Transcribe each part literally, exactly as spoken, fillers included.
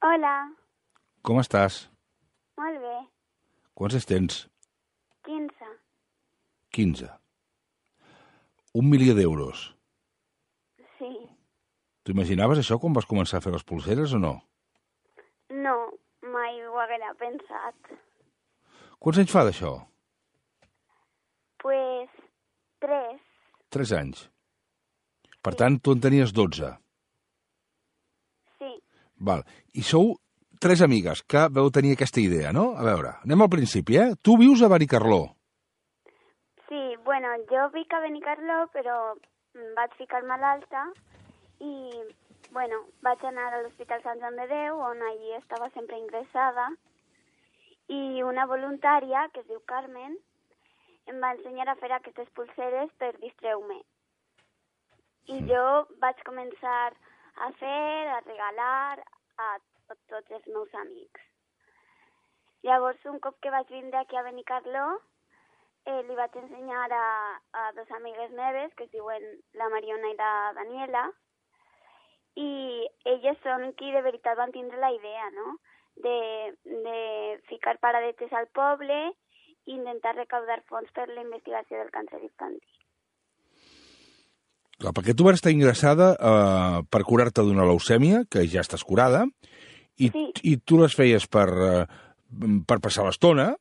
Hola, Com estàs? molt bé. Quants anys tens? quinze. quinze. Un milió d'euros. Sí. T'ho imaginaves això quan vas començar a fer les pulseres o no? No, mai ho haguera pensat. Quants anys fa d'això? Pues, tres. Tres anys. Per tant, tu en tenies dotze. Sí. Val. I sou tres amigues que veu tenir aquesta idea, no? A veure, anem al principi, eh? Tu vius a Benicarló. Sí, bueno, jo vic a Benicarló, però em vaig ficar malalta i, bueno, vaig anar a l'Hospital Sant Joan de Déu, on allí estava sempre ingressada, i una voluntària, que es diu Carmen, em va ensenyar a fer aquestes pulseres per distreure-me. I Mm. jo vaig començar a fer, a regalar a tot, tots els meus amics. Llavors, un cop que vaig vindre aquí a Benicarló, eh, li vaig ensenyar a, a dos amigues meves, que es diuen la Mariona i la Daniela, i elles són qui de veritat van tindre la idea, no?, de, de ficar paradetes al poble i intentar recaudar fons per la investigació del càncer infantil. Clar, perquè tu vas estar ingressada eh, per curar-te d'una leucèmia, que ja estàs curada, i, Sí. i tu les feies per, eh, per passar l'estona,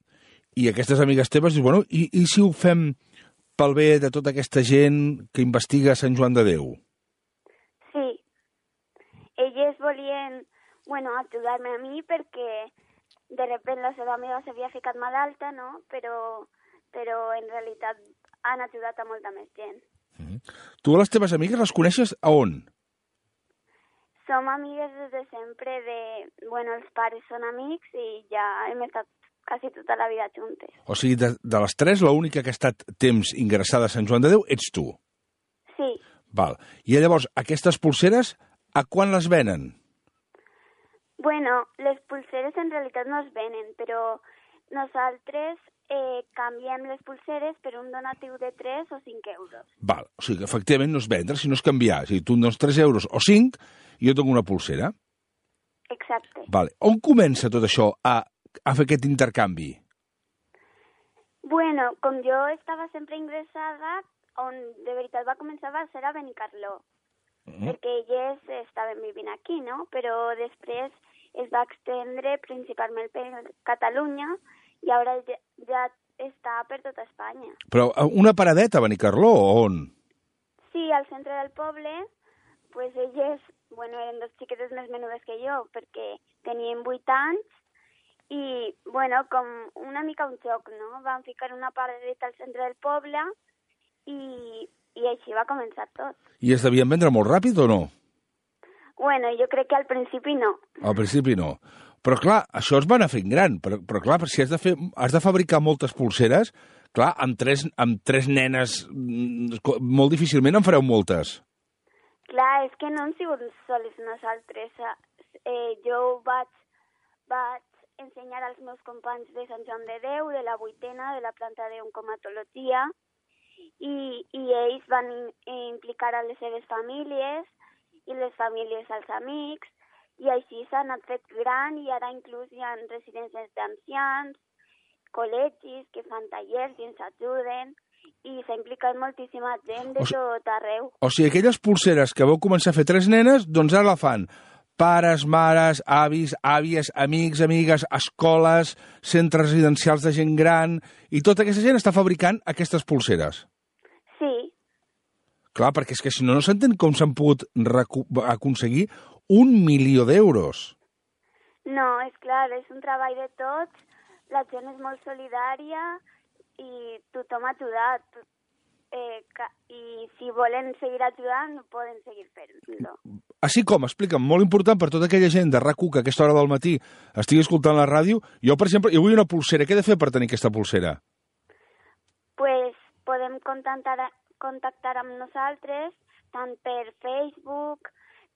i aquestes amigues teves dius, bueno, i, i si ho fem pel bé de tota aquesta gent que investiga Sant Joan de Déu? Sí. Elles volien, bueno, ajudar-me a mi perquè de repente la seva amiga s'havia ficat malalta, no? Però, però en realitat han ajudat a molta més gent. Mm. Tu a les teves amigues les coneixes a on? Som amigues des de sempre de... Bueno, els pares són amics i ja hem estat quasi tota la vida juntes. O sigui, de, de les tres, l'única que ha estat temps ingressada a Sant Joan de Déu ets tu. Sí. Val. I llavors, aquestes pulseres, a quan les venen? Bueno, les pulseres en realitat no es venen, però nosaltres eh, canviem les pulseres per un donatiu de tres o cinc euros. Val. O sigui, que efectivament no és vendre, sinó és canviar. O sigui, tu em dones tres euros o cinc i jo tinc una pulsera. Exacte. Vale. On comença tot això a, a fer aquest intercanvi? Bueno, com jo estava sempre ingressada, on de veritat va començar va ser a Benicarló, Mm. perquè elles estaven vivint aquí, no? Però després es va extendre principalment per Catalunya i ara ja, ja està per tota Espanya. Però eh, una paradeta a Benicarló o on? Sí, al centre del poble, pues elles, bueno, eren dos xiquetes més menudes que jo, perquè tenien vuit anys i, bueno, com una mica un xoc, no? Van ficar una paradeta al centre del poble i, i així va començar tot. I es devien vendre molt ràpid o no? Bueno, jo crec que al principi no. Al principi no. Però clar, això es va anar fent gran. Però, però clar, si has de, fer, has de fabricar moltes pulseres, clar, amb tres, amb tres nenes mm, molt difícilment en fareu moltes. Clar, és que no hem sigut sols nosaltres. Eh, jo vaig, vaig ensenyar als meus companys de Sant Joan de Déu, de la vuitena, de la planta d'oncomatologia, i, i ells van in, implicar a les seves famílies i les famílies als amics, i així s'ha anat fet gran i ara inclús hi ha residències d'ancians, col·legis que fan tallers i ens ajuden, i s'ha implicat moltíssima gent de O si- tot arreu. O sigui, aquelles pulseres que vau començar a fer tres nenes, doncs ara la fan pares, mares, avis, àvies, amics, amigues, escoles, centres residencials de gent gran, i tota aquesta gent està fabricant aquestes pulseres. Sí, Clar, perquè és que si no, no s'entén com s'han pogut recu- aconseguir un milió d'euros. no, és clar, és un treball de tots, la gent és molt solidària i tothom ha ajudat. Eh, ca- I si volen seguir ajudant, poden seguir fent-lo. Així com, explica'm, molt important per tota aquella gent de RAC u que a aquesta hora del matí estigui escoltant la ràdio, jo, per exemple, jo vull una pulsera. Què he de fer per tenir aquesta pulsera? Pues podem contactar, contactar amb nosaltres tant per Facebook,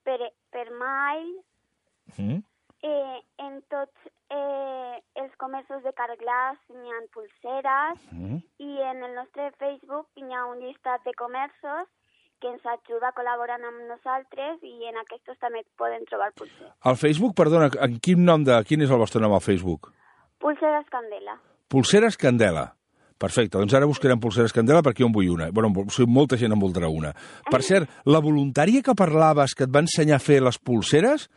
per, per mail, Mm. eh, en tots eh, els comerços de Carglass n'hi ha pulseres Mm. i en el nostre Facebook hi ha un llistat de comerços que ens ajuda col·laborant amb nosaltres i en aquests també poden trobar pulseres. Al Facebook, perdona, en quin nom de... Quin és el vostre nom al Facebook? Pulseres Candela. Pulseres Candela. Perfecte, doncs ara buscarem Pulseres Candela perquè jo en vull una. Bueno, molta gent en voldrà una. Per cert, la voluntària que parlaves, que et va ensenyar a fer les pulseres,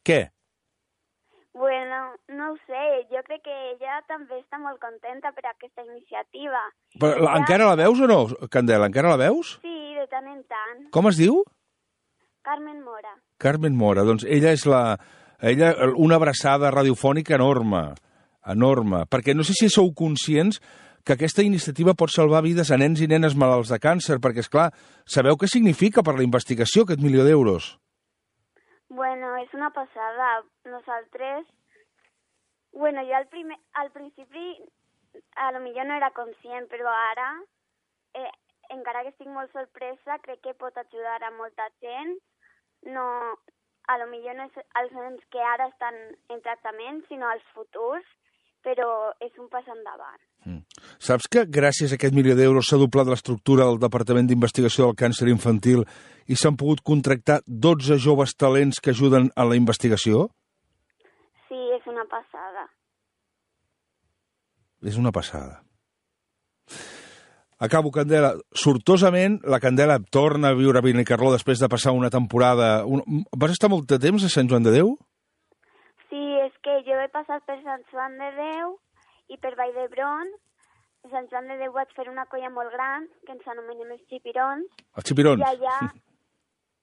què? Bueno, no ho sé, jo crec que ella també està molt contenta per aquesta iniciativa. Però ella... encara la veus o no, Candela? Encara la veus? Sí, de tant en tant. Com es diu? Carmen Mora. Carmen Mora, doncs ella és la... Ella, una abraçada radiofònica enorme, enorme, perquè no sé si sou conscients que aquesta iniciativa pot salvar vides a nens i nenes malalts de càncer, perquè, és clar, sabeu què significa per la investigació aquest milió d'euros? Bueno, és una passada. Nosaltres... Bueno, jo al, primer, al principi a lo millor no era conscient, però ara, eh, encara que estic molt sorpresa, crec que pot ajudar a molta gent. No, a lo millor no és els nens que ara estan en tractament, sinó els futurs, però és un pas endavant. Mm. Saps que gràcies a aquest milió d'euros s'ha doblat l'estructura del Departament d'Investigació del Càncer Infantil i s'han pogut contractar dotze joves talents que ajuden a la investigació? Sí, és una passada. És una passada. Acabo, Candela. Sortosament, la Candela torna a viure a Benicarló després de passar una temporada... Un... Vas estar molt de temps a Sant Joan de Déu? Sí, és que jo he passat per Sant Joan de Déu i per Vall d'Hebron. A Sant Joan de Déu vaig fer una colla molt gran, que ens anomenem els xipirons. Els xipirons? I allà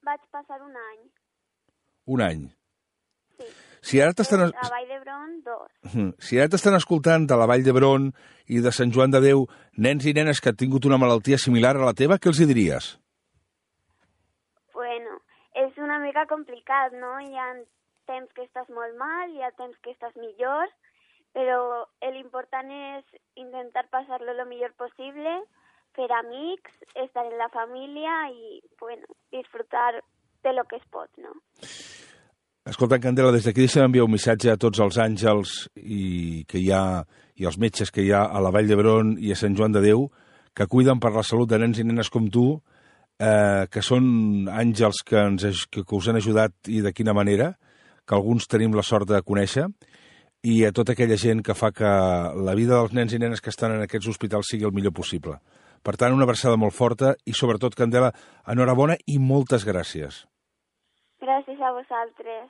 vaig passar un any. Un any? Sí. Si ara t'estan... A Vall d'Hebron, dos. Si ara t'estan escoltant de la Vall d'Hebron i de Sant Joan de Déu nens i nenes que han tingut una malaltia similar a la teva, què els hi diries? Bueno, és una mica complicat, no? Hi ha temps que estàs molt mal, hi ha temps que estàs millor, però l'important és intentar passar-lo el millor possible, fer amics, estar en la família i, bueno, disfrutar de lo que es pot, no? Escolta, Candela, des d'aquí deixa'm enviar un missatge a tots els àngels i que hi ha i els metges que hi ha a la Vall d'Hebron i a Sant Joan de Déu que cuiden per la salut de nens i nenes com tu, eh, que són àngels que, ens, que, que us han ajudat i de quina manera, que alguns tenim la sort de conèixer, i a tota aquella gent que fa que la vida dels nens i nenes que estan en aquests hospitals sigui el millor possible. Per tant, una abraçada molt forta i, sobretot, Candela, enhorabona i moltes gràcies. Gràcies a vosaltres.